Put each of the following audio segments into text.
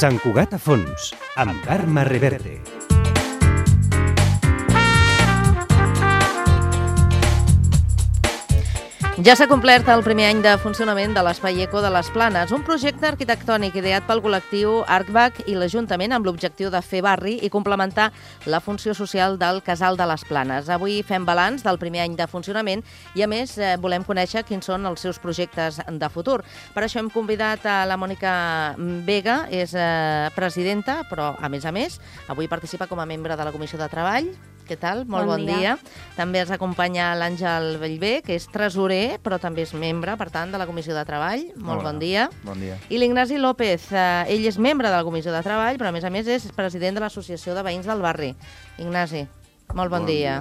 Sant Cugat a fons, amb Carme Reverte. Ja s'ha complert el primer any de funcionament de l'Espai Eco de les Planes, un projecte arquitectònic ideat pel col·lectiu ArcBac i l'Ajuntament amb l'objectiu de fer barri i complementar la funció social del Casal de les Planes. Avui fem balanç del primer any de funcionament i, a més, volem conèixer quins són els seus projectes de futur. Per això hem convidat a la Mònica Vega, és presidenta, però, a més, avui participa com a membre de la Comissió de Treball. Què tal? Molt bon dia. També ens acompanya l'Àngel Bellver, que és tresorer, però també és membre, per tant, de la Comissió de Treball. Molt bon dia. Bon dia. I l'Ignasi López, ell és membre de la Comissió de Treball, però a més és president de l'Associació de Veïns del Barri. Ignasi, molt bon dia.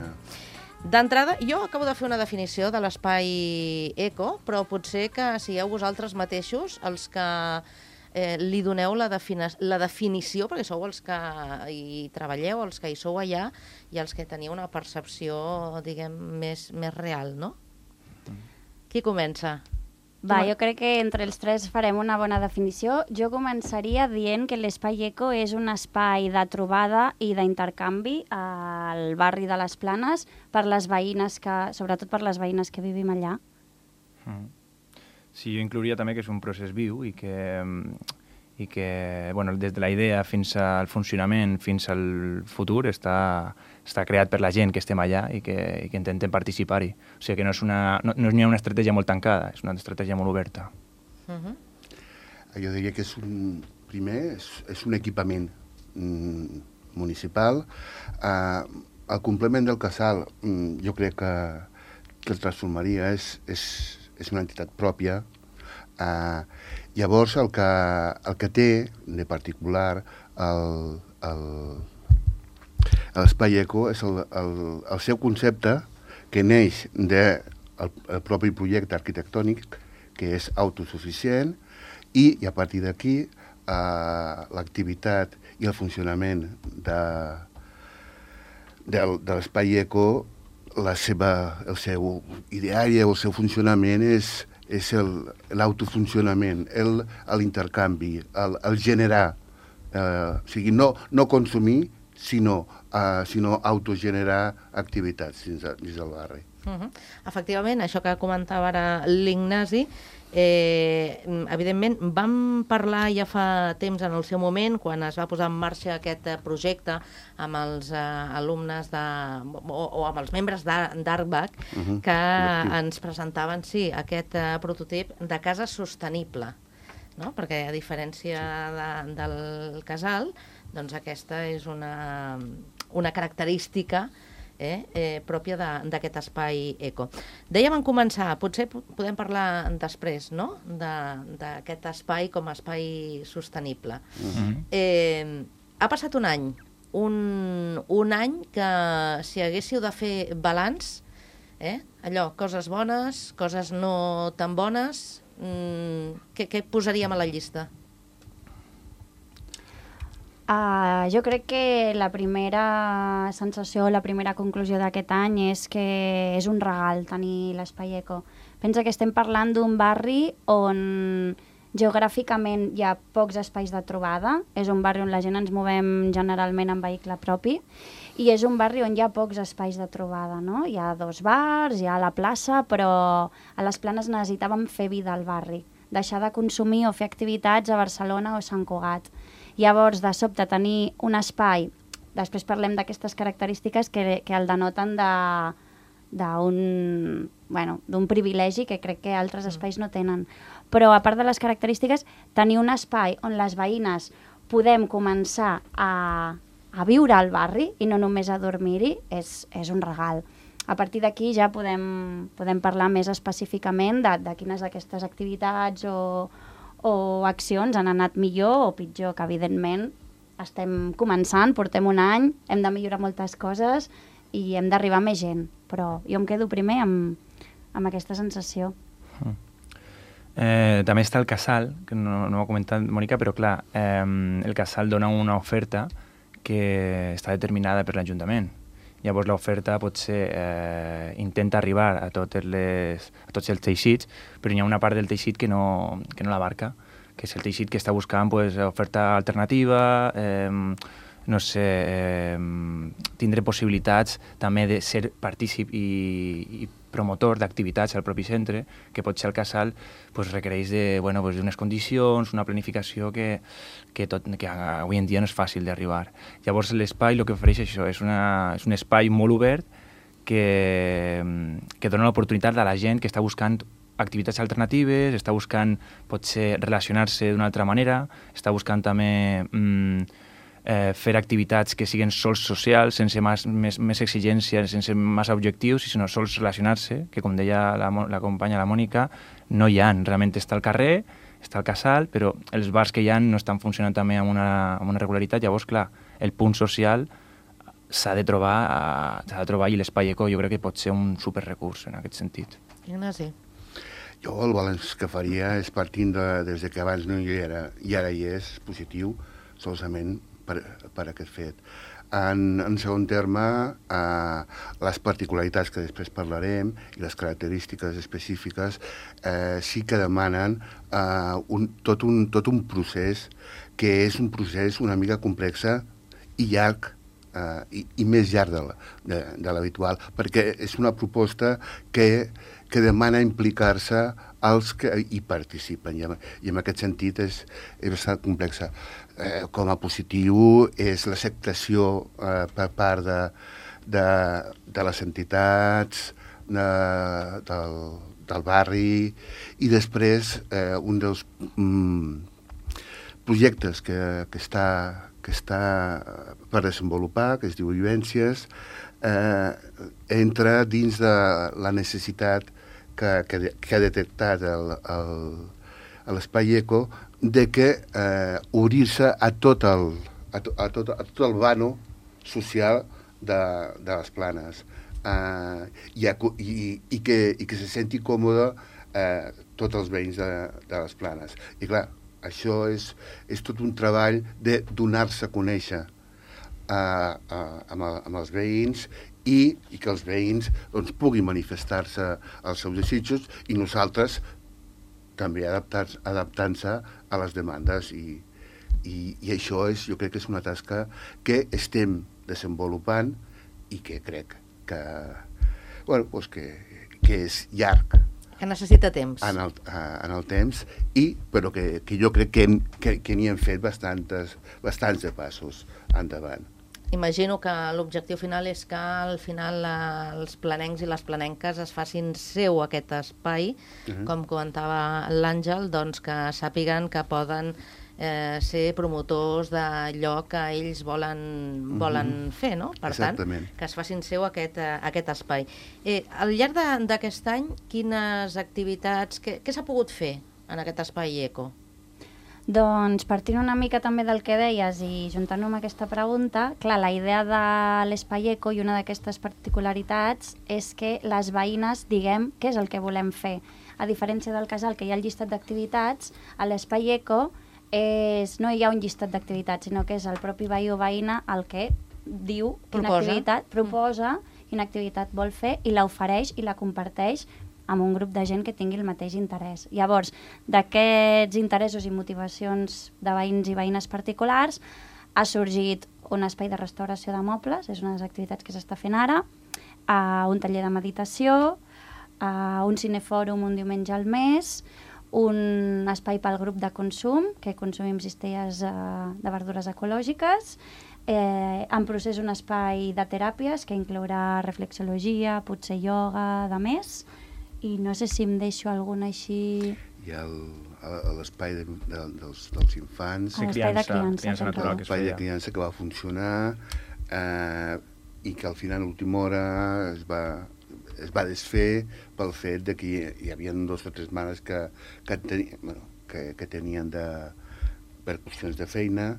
D'entrada, jo acabo de fer una definició de l'espai Eco, però potser que sigueu vosaltres mateixos els que li doneu la definició, perquè sou els que hi treballeu, els que hi sou allà i els que teniu una percepció, diguem, més real, no? Qui comença? Jo crec que entre els tres farem una bona definició. Jo començaria dient que l'Espai Eco és un espai de trobada i d'intercanvi al barri de les Planes per les veïnes sobretot per les veïnes que vivim allà. Sí, jo inclouria també que és un procés viu i que bueno, des de la idea fins al funcionament, fins al futur, està creat per la gent que estem allà i que intentem participar-hi. O sigui que no és una estratègia molt tancada, és una estratègia molt oberta. Jo diria que és un equipament municipal. El complement del casal jo crec que el transformaria, és una entitat pròpia. Llavors, el que té de particular l'Espai Eco és el seu concepte, que neix del propi projecte arquitectònic, que és autosuficient, i a partir d'aquí l'activitat i el funcionament de l'Espai Eco, el seu ideari o el seu funcionament és l'autofuncionament, l'intercanvi, el generar, o sigui, no consumir, sinó autogenerar activitats dins del barri. Efectivament, això que comentava ara l'Ignasi, evidentment vam parlar ja fa temps en el seu moment, quan es va posar en marxa aquest projecte amb els alumnes o amb els membres d'ArcBac, que ens presentaven aquest prototip de casa sostenible, no? Perquè a diferència del casal, doncs aquesta és una característica pròpia d'aquest espai eco. Dèiem en començar, potser podem parlar després, no?, d'aquest espai com a espai sostenible. Ha passat un any, un any que si haguéssiu de fer balanç, allò, coses bones, coses no tan bones, què posaríem a la llista? Jo crec que la primera sensació, la primera conclusió d'aquest any és que és un regal tenir l'Espai Eco. Pensa que estem parlant d'un barri on geogràficament hi ha pocs espais de trobada, és un barri on la gent ens movem generalment en vehicle propi, i és un barri on hi ha pocs espais de trobada, no? Hi ha 2 bars, hi ha la plaça, però a les Planes necessitàvem fer vida al barri, deixar de consumir o fer activitats a Barcelona o Sant Cugat. Llavors, de sobte, tenir un espai, després parlem d'aquestes característiques que el denoten d'un privilegi que crec que altres espais no tenen. Però, a part de les característiques, tenir un espai on les veïnes podem començar a viure al barri i no només a dormir-hi és un regal. A partir d'aquí ja podem parlar més específicament de quines d'aquestes activitats o accions han anat millor o pitjor, que evidentment estem començant, portem un any, hem de millorar moltes coses i hem d'arribar a més gent, però jo em quedo primer amb aquesta sensació. També està el casal, que no ho ha comentat Mònica, però clar, el casal dona una oferta que està determinada per l'Ajuntament. Llavors l'oferta potser intenta arribar a tots els teixits, però hi ha una part del teixit que no l'abarca, que és el teixit que està buscant pues, oferta alternativa, no sé, tindre possibilitats també de ser partícip i promotor d'activitats al propi centre, que potser el casal pues, requereix d'unes condicions, una planificació que avui en dia no és fàcil d'arribar. Llavors l'espai el que ofereix això és un espai molt obert que dona l'oportunitat a la gent que està buscant activitats alternatives, està buscant potser relacionar-se d'una altra manera, està buscant també fer activitats que siguin sols socials, sense més exigències, sense massa objectius, sinó sols relacionar-se, que com deia la companya, la Mònica, no hi ha. Realment està al carrer, està al casal, però els bars que hi ha no estan funcionant també amb una regularitat. Llavors, clar, el punt social s'ha de trobar i l'espai eco jo crec que pot ser un superrecurs en aquest sentit. Ignasi. Jo el balanç que faria és partint des que abans no hi era i ara hi és positiu, solament per aquest fet. En segon terme, les particularitats que després parlarem i les característiques específiques sí que demanen tot un procés que és un procés una mica complex i llarg, i més llarg de l'habitual, perquè és una proposta que demana implicar-se els que hi participen, i en aquest sentit és bastant complexa. Com a positiu és l'acceptació per part de les entitats, del barri, i després un dels projectes que està per desenvolupar, que es diu Vivències, entra dins de la necessitat que ha detectat l'espai eco de que obrir-se a tot el vano social de les Planes i que se senti còmode tots els veïns de les Planes. I clar, això és tot un treball de donar-se a conèixer amb els veïns i que els veïns puguin manifestar-se els seus desitjos i nosaltres també adaptant-se a les demandes i això jo crec que és una tasca que estem desenvolupant i que crec que és llarg. Que necessita temps. En el temps, però que jo crec que n'hi hem fet bastants de passos endavant. Imagino que l'objectiu final és que al final els planencs i les planenques es facin seu aquest espai, com comentava l'Àngel, doncs que sàpiguen que poden ser promotors d'allò que ells volen fer, no? Per tant, que es facin seu aquest espai. Al llarg d'aquest any, quines activitats, què s'ha pogut fer en aquest espai eco? Doncs partint una mica també del que deies i juntant-ho amb aquesta pregunta, clar, la idea de l'espai eco i una d'aquestes particularitats és que les veïnes diguem què és el que volem fer. A diferència del casal, que hi ha el llistat d'activitats, a l'espai eco no hi ha un llistat d'activitats, sinó que és el propi veí o veïna el que diu quina activitat proposa, quina activitat vol fer i l'ofereix i la comparteix amb un grup de gent que tingui el mateix interès. Llavors, d'aquests interessos i motivacions de veïns i veïnes particulars ha sorgit un espai de restauració de mobles, és una de les activitats que s'està fent ara, un taller de meditació, un cinefòrum un diumenge al mes, un espai pel grup de consum, que consumim cistelles de verdures ecològiques, en procés un espai de teràpies que inclourà reflexologia, potser ioga, de més, i no sé si em deixo alguna així... Hi ha l'espai dels infants, l'espai de criança, l'espai de criança que va funcionar i que al final a última hora es va desfer pel fet de que hi havia 2 o 3 mares que tenien per qüestions de feina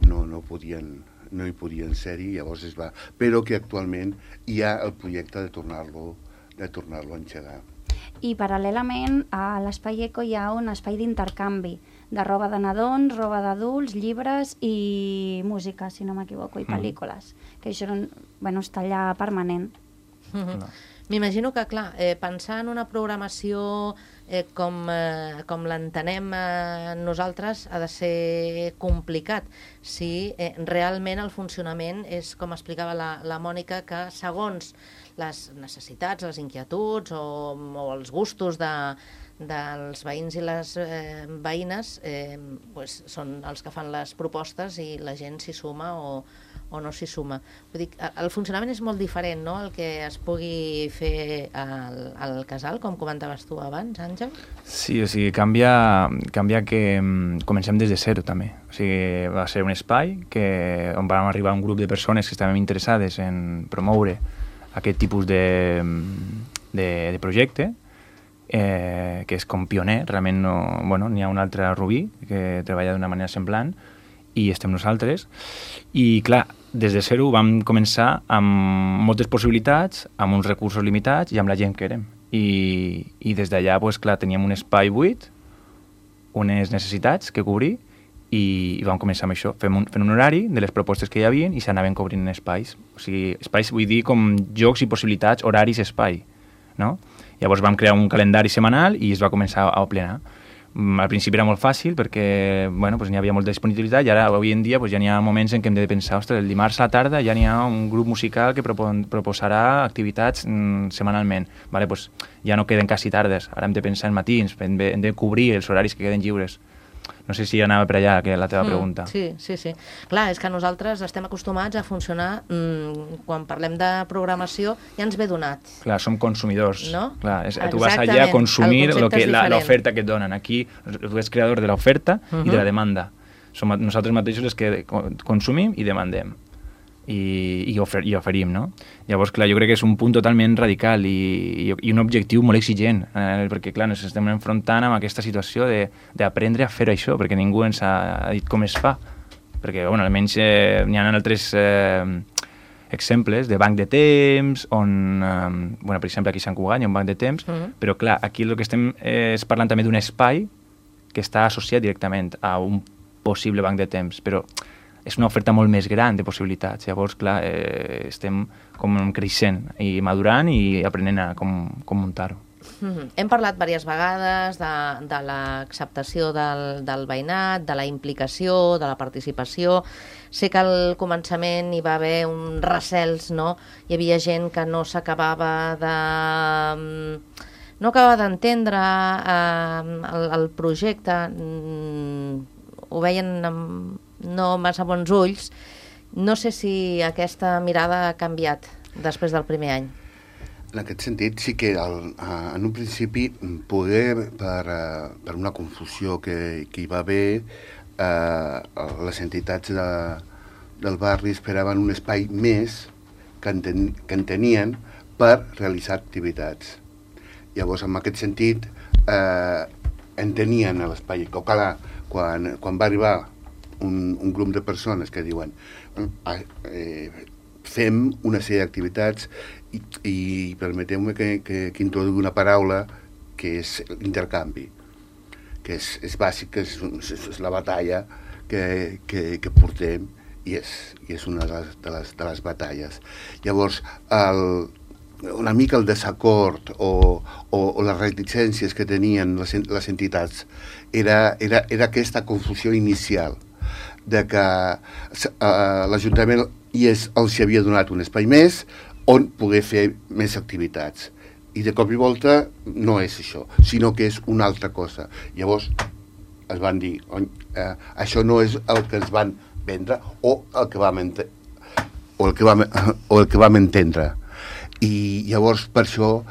no hi podien ser-hi, llavors es va... Però que actualment hi ha el projecte de tornar-lo a engegar. I paral·lelament a l'espai eco hi ha un espai d'intercanvi de roba de nadons, roba d'adults, llibres i música, si no m'equivoco, i pel·lícules, que això està allà permanent. M'imagino que, clar, pensar en una programació com l'entenem nosaltres ha de ser complicat si realment el funcionament és, com explicava la Mònica, que segons les necessitats, les inquietuds o els gustos dels veïns i les veïnes pues, són els que fan les propostes i la gent s'hi suma o no s'hi suma. Vull dir, el funcionament és molt diferent, no?, el que es pugui fer al casal, com comentaves tu abans, Àngel? Sí, o sigui, canvia que comencem des de zero, també. O sigui, va ser un espai on vam arribar un grup de persones que estaven interessades en promoure aquest tipus de projecte, que és com pioner, realment no... Bueno, n'hi ha un altre, Rubí, que treballa d'una manera semblant, i estem nosaltres, i clar, des de zero vam començar amb moltes possibilitats, amb uns recursos limitats i amb la gent que érem. I des d'allà, pues, clar, teníem un espai buit, unes necessitats que cobrir, i vam començar amb això, fent un horari de les propostes que hi havia i s'anaven cobrint espais. O sigui, espais vull dir com jocs i possibilitats, horaris, espai, no? Llavors vam crear un calendari setmanal i es va començar a plenar. Al principi era molt fàcil perquè bueno, pues n'hi havia molta disponibilitat i ara, avui en dia, pues ja n'hi ha moments en què hem de pensar, ostres, el dimarts a la tarda ja n'hi ha un grup musical que proposarà activitats setmanalment. Vale, pues ja no queden quasi tardes, ara hem de pensar en matins, hem de cobrir els horaris que queden lliures. No sé si anava per allà, que la teva pregunta. Sí. Clar, és que nosaltres estem acostumats a funcionar, quan parlem de programació, ja ens ve donat. Clar, som consumidors. No? Clar, tu vas allà a consumir l'oferta que et donen. Aquí tu ets creador de l'oferta i de la demanda. Som nosaltres mateixos els que consumim i demandem. I oferim, no? Llavors, clar, jo crec que és un punt totalment radical i un objectiu molt exigent, perquè, clar, ens estem enfrontant amb aquesta situació d'aprendre a fer això, perquè ningú ens ha dit com es fa. Perquè, bueno, almenys n'hi ha altres exemples de banc de temps, on, bueno, per exemple, aquí a Sant Cugat hi ha un banc de temps, però, clar, aquí el que estem és parlant també d'un espai que està associat directament a un possible banc de temps, però és una oferta molt més gran de possibilitats. Llavors, clar, estem com creixent i madurant i aprenent a com muntar-ho. Hem parlat diverses vegades de l'acceptació del veïnat, de la implicació, de la participació. Sé que al començament hi va haver uns recels, no? Hi havia gent que no s'acabava no acabava d'entendre el projecte, ho veien amb no massa bons ulls. No sé si aquesta mirada ha canviat després del primer any. En aquest sentit, sí que en un principi poder, per una confusió que hi va haver, les entitats del barri esperaven un espai més que entenien per realitzar activitats. Llavors, en aquest sentit, entenien l'espai. Clar, quan va arribar un grup de persones que diuen fem una sèrie d'activitats i permeteu-me que introduï una paraula que és l'intercanvi, que és bàsic, que és la batalla que portem i és una de les batalles. Llavors, una mica el desacord o les reticències que tenien les entitats era aquesta confusió inicial de que l'Ajuntament els havia donat un espai més on poder fer més activitats. I de cop i volta no és això, sinó que és una altra cosa. Llavors es van dir, això no és el que ens van vendre o el que vam entendre. I llavors per això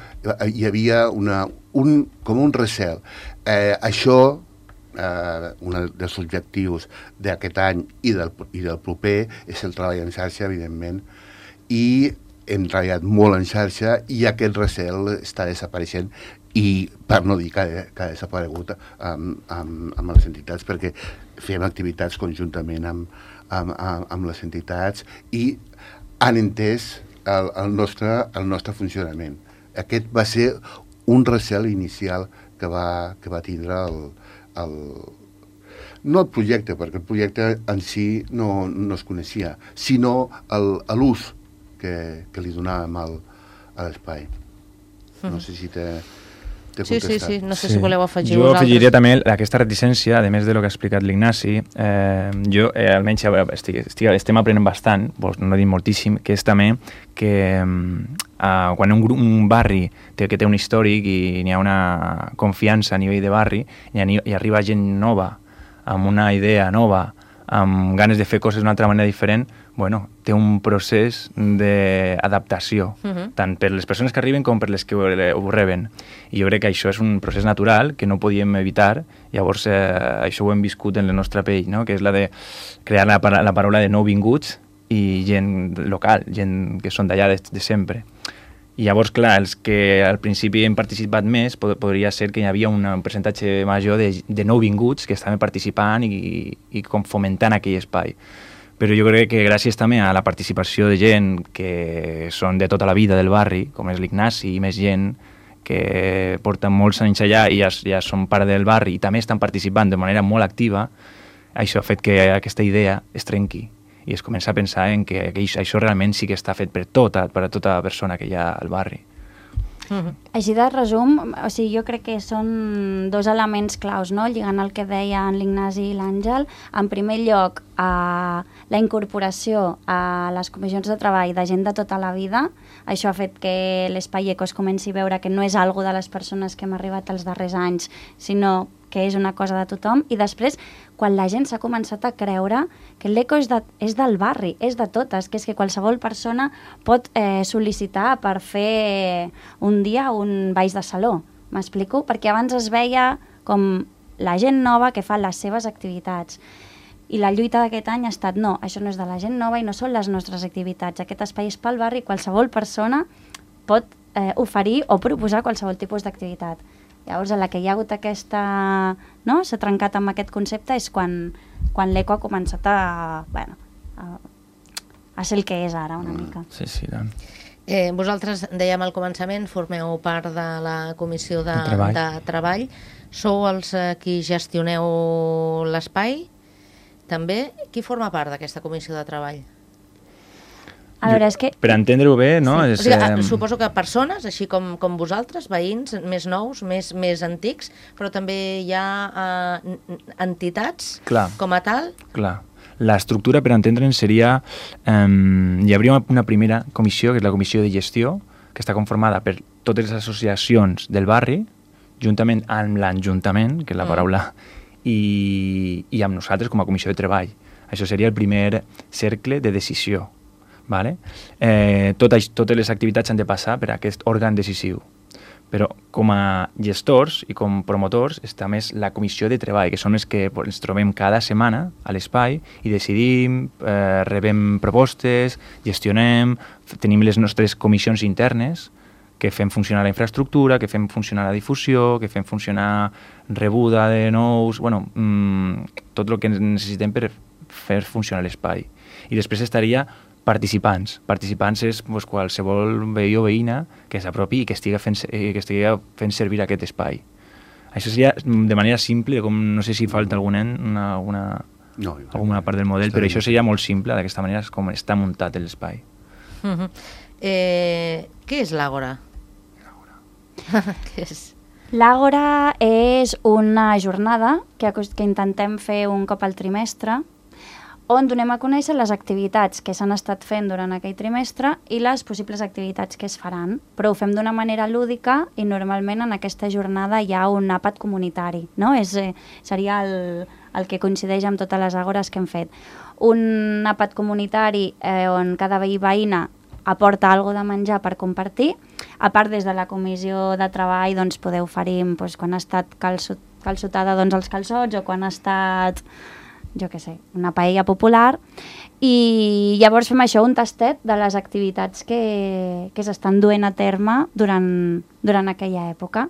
hi havia com un recel. Això, un dels objectius d'aquest any i del proper és el treball en xarxa, evidentment, i hem treballat molt en xarxa i aquest recel està desapareixent i per no dir que ha desaparegut amb les entitats, perquè fem activitats conjuntament amb les entitats i han entès el nostre funcionament. Aquest va ser un recel inicial que va tindre no el projecte, perquè el projecte en si no es coneixia, sinó l'ús que li donàvem a l'espai. No sé si t'he Sí, contestat. sí, no sé si voleu afegir jo vosaltres. afegiria també aquesta reticència, a més de lo que ha explicat l'Ignasi, jo almenys estem aprenent bastant, no dic moltíssim, que és també que quan un barri té un històric i n'hi ha una confiança a nivell de barri i arriba gent nova, amb una idea nova, amb ganes de fer coses d'una altra manera diferent, bueno, té un procés d'adaptació, tant per les persones que arriben com per les que ho reben. I jo crec que això és un procés natural que no podíem evitar, llavors això ho hem viscut en la nostra pell, no? Que és la de crear la paraula de nouvinguts i gent local, gent que són d'allà de sempre. I llavors, clar, els que al principi hem participat més, podria ser que hi havia un percentatge major de nouvinguts que estaven participant i com fomentant aquell espai. Però jo crec que gràcies també a la participació de gent que són de tota la vida del barri, com és l'Ignasi i més gent que porten molts anys allà i ja són part del barri i també estan participant de manera molt activa, això ha fet que aquesta idea es trenqui i es comença a pensar en que això realment sí que està fet per tota persona que hi ha al barri. Així de resum, o sigui, jo crec que són dos elements claus, no? Lligant el que deien l'Ignasi i l'Àngel. En primer lloc, la incorporació a les comissions de treball de gent de tota la vida. Això ha fet que l'Espai Eco es comenci a veure que no és algo de les persones que hem arribat els darrers anys, sinó que és una cosa de tothom. I després, quan la gent s'ha començat a creure que l'eco és del barri, és de totes, que és que qualsevol persona pot sol·licitar per fer un dia un balls de saló. M'explico? Perquè abans es veia com la gent nova que fa les seves activitats. I la lluita d'aquest any ha estat, no, això no és de la gent nova i no són les nostres activitats. Aquest espai és pel barri i qualsevol persona pot oferir o proposar qualsevol tipus d'activitat. Llavors, a la que hi ha hagut aquesta... no? S'ha trencat amb aquest concepte és quan l'eco ha començat a ser el que és ara, una mica. Sí, sí, tant. Vosaltres, dèiem al començament, formeu part de la comissió de treball. Sou els qui gestioneu l'espai, també. Qui forma part d'aquesta comissió de treball? A veure, és que... Per entendre-ho bé, no? Sí. O sigui, suposo que persones, així com vosaltres, veïns, més nous, més antics, però també hi ha entitats com a tal? Clar. L'estructura, per entendre'ns, seria... hi hauria una primera comissió, que és la comissió de gestió, que està conformada per totes les associacions del barri, juntament amb l'Ajuntament, que és la paraula, i amb nosaltres com a comissió de treball. Això seria el primer cercle de decisió. Vale? Totes les activitats han de passar per aquest òrgan decisiu. Però com a gestors i com promotors està més la comissió de treball, que són els que ens trobem cada setmana a l'espai i decidim, rebem propostes, gestionem, tenim les nostres comissions internes que fem funcionar la infraestructura, que fem funcionar la difusió, que fem funcionar rebuda de nous... Bueno, tot el que necessitem per fer funcionar l'espai. I després estaria participants. Participants és qualsevol veí o veïna que s'apropi i que estigui fent servir aquest espai. Això seria de manera simple, com no sé si falta alguna part del model, però això seria molt simple, d'aquesta manera és com està muntat l'espai. Què és l'Àgora? Què és? L'Àgora és una jornada que intentem fer un cop al trimestre, on donem a conèixer les activitats que s'han estat fent durant aquell trimestre i les possibles activitats que es faran. Però ho fem d'una manera lúdica i normalment en aquesta jornada hi ha un àpat comunitari, no? Seria el que coincideix amb totes les àgores que hem fet. Un àpat comunitari on cada veí veïna aporta alguna de menjar per compartir. A part, des de la comissió de treball doncs, podeu oferir quan ha estat calçotada els calçots o quan ha estat... jo què sé, una paella popular, i llavors fem això, un tastet de les activitats que s'estan duent a terme durant aquella època.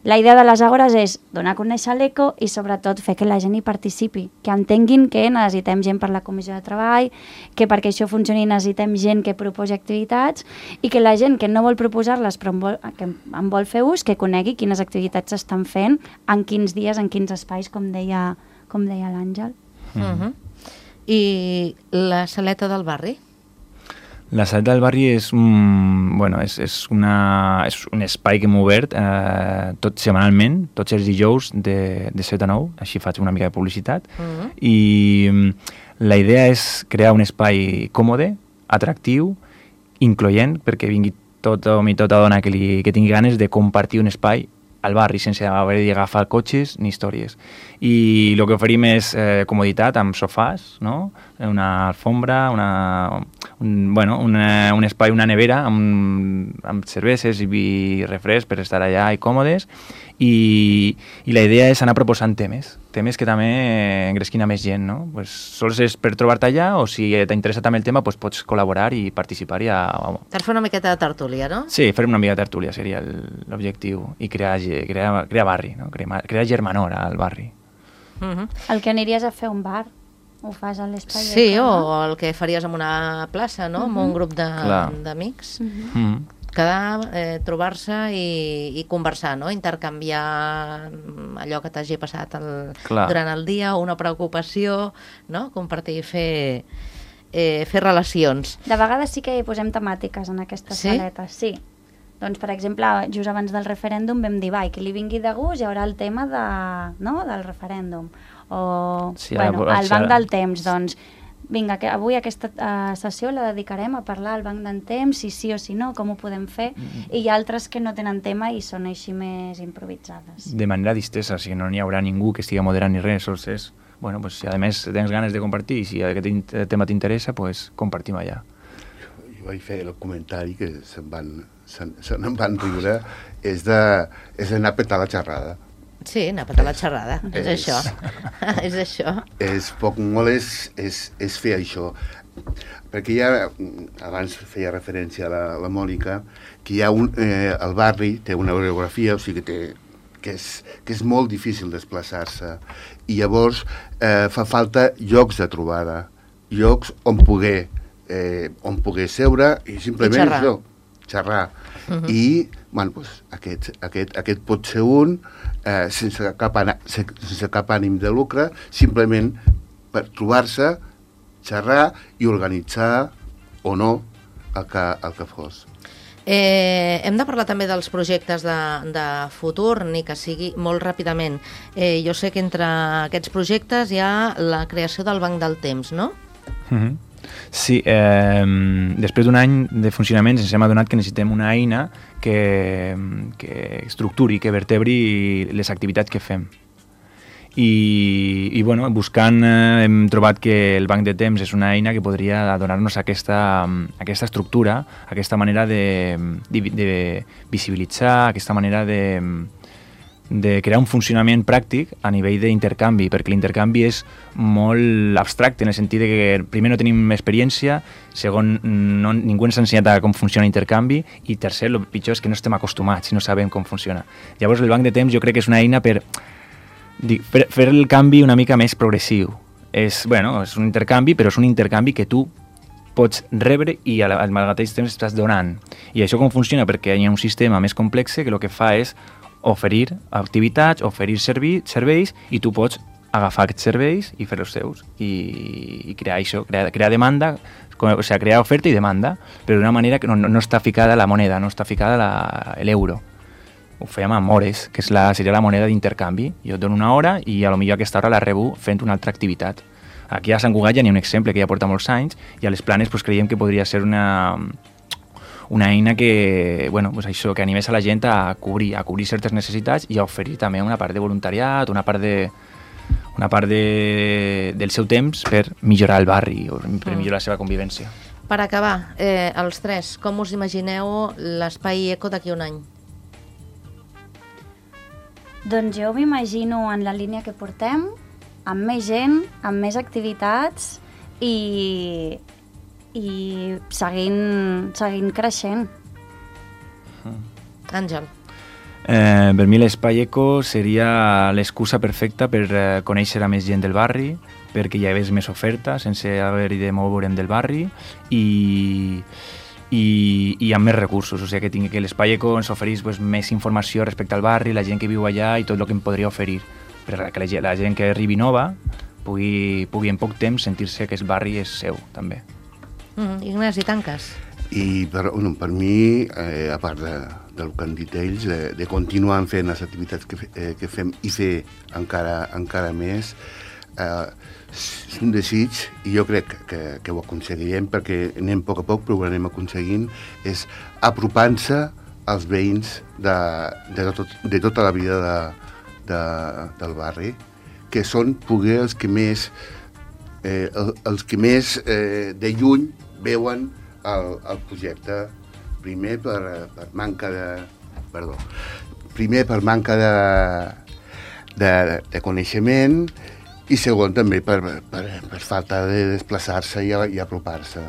La idea de les àgores és donar a conèixer l'eco i sobretot fer que la gent hi participi, que entenguin que necessitem gent per la comissió de treball, que perquè això funcioni necessitem gent que proposi activitats i que la gent que no vol proposar-les però que en vol fer ús, que conegui quines activitats s'estan fent, en quins dies, en quins espais, com deia l'Àngel. I la saleta del barri? La Saleta del Barri és un espai que hem obert tot setmanalment, tots els dijous de 7 a 9, així faig una mica de publicitat, i la idea és crear un espai còmode, atractiu, incloent, perquè vingui tot home i tota dona que tingui ganes de compartir un espai al barri sense haver d'agafar cotxes ni històries. I el que oferim és comoditat amb sofàs, no? Una alfombra, un espai, una nevera amb cerveses i refresc per estar allà i còmodes, i la idea és anar proposant temes que també engresquin a més gent, no? Pues, sols és per trobar-te allà, o si t'interessa també el tema, pues, pots col·laborar i participar. Per fer una miqueta de tertúlia, no? Sí, fer una mica de tertúlia seria l'objectiu, i crear barri, no? Crear germanor al barri. El que aniries a fer un bar, ho fas a l'espai. Sí, o el que faries en una plaça, no? Amb un grup d'amics. Quedar, trobar-se i conversar, no? Intercanviar allò que t'hagi passat durant el dia, una preocupació, no? Compartir, fer relacions. De vegades sí que hi posem temàtiques en aquestes saletes, sí. Doncs, per exemple, just abans del referèndum vam dir, qui li vingui de gust hi haurà el tema del referèndum. O, el banc del temps, doncs, vinga, avui aquesta sessió la dedicarem a parlar al banc del temps, si sí o si no, com ho podem fer, i hi ha altres que no tenen tema i són així més improvisades. De manera distesa, o sigui, no n'hi haurà ningú que estigui moderant ni res, sols és, si a més tens ganes de compartir i si aquest tema t'interessa, pues compartim allà. Jo vaig fer el comentari que se n'en van riure, és d'anar a petar la xerrada. Sí, anar a petar la xerrada, és això. És això. És poc molt, és fer això. Perquè ja, abans feia referència a la Mònica, que hi ha el barri té una orografia, o sigui que és molt difícil desplaçar-se. I llavors fa falta llocs de trobada, llocs on poder seure i simplement això, xerrar. I aquest pot ser un sense cap ànim de lucre, simplement per trobar-se, xerrar i organitzar o no el que fos. Hem de parlar també dels projectes de futur, ni que sigui molt ràpidament. Jo sé que entre aquests projectes hi ha la creació del Banc del Temps, no? Sí, després d'un any de funcionament ens hem adonat que necessitem una eina que estructuri, que vertebri les activitats que fem. I buscant hem trobat que el Banc de Temps és una eina que podria donar-nos aquesta estructura, aquesta manera de visibilitzar, aquesta manera de crear un funcionament pràctic a nivell d'intercanvi, perquè l'intercanvi és molt abstracte, en el sentit que primer no tenim experiència, segon, ningú ens ha ensenyat com funciona l'intercanvi, i tercer, el pitjor és que no estem acostumats i no sabem com funciona. Llavors el Banc de Temps jo crec que és una eina per fer el canvi una mica més progressiu. És un intercanvi, però és un intercanvi que tu pots rebre i al mateix temps estàs donant. I això com funciona? Perquè hi ha un sistema més complex que el que fa és oferir activitats, oferir serveis, i tu pots agafar aquests serveis i fer-los teus i crear això, crear demanda, o sigui, crear oferta i demanda, però d'una manera que no està ficada la moneda, no està ficada l'euro. Ho fèiem amb hores, que seria la moneda d'intercanvi. Jo et dono una hora i potser aquesta hora la rebo fent una altra activitat. Aquí a Sant Cugat ja n'hi ha un exemple que ja porta molts anys, i a les Planes creiem que podria ser una eina que animés a la gent a cobrir certes necessitats i a oferir també una part de voluntariat, una part del seu temps per millorar el barri o per millorar la seva convivència. Per acabar, els tres, com us imagineu l'Espai Eco d'aquí un any? Doncs jo m'imagino en la línia que portem, amb més gent, amb més activitats i seguint creixent. Àngel. Per mi l'Espai Eco seria l'excusa perfecta per conèixer a més gent del barri, perquè hi hagués més oferta sense haver-hi de moure'm del barri i amb més recursos, o sigui que l'Espai Eco ens oferís més informació respecte al barri, la gent que viu allà i tot el que em podria oferir, perquè la gent que arribi nova pugui en poc temps sentir-se que el barri és seu, també. Ignasi, tanques? I per mi, a part del que han dit ells, de continuar fent les activitats que fem i fer encara més, és un desig, i jo crec que ho aconseguirem, perquè anem a poc, però ho anem aconseguint, és apropant-se als veïns de tota la vida del barri, que són poder els que més de lluny veuen el projecte, primer per manca de coneixement, i segon també per falta de desplaçar-se i apropar-se.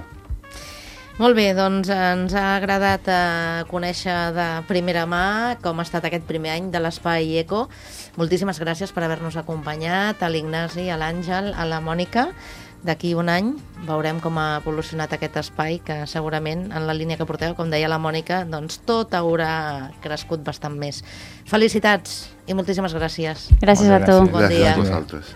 Molt bé, doncs ens ha agradat conèixer de primera mà com ha estat aquest primer any de l'Espai Eco. Moltíssimes gràcies per haver-nos acompanyat, a l'Ignasi, a l'Àngel, a la Mònica. D'aquí un any veurem com ha evolucionat aquest espai, que segurament en la línia que porteu, com deia la Mònica, doncs tot haurà crescut bastant més. Felicitats i moltíssimes gràcies. Gràcies a tu. Bon dia. Gràcies a vosaltres.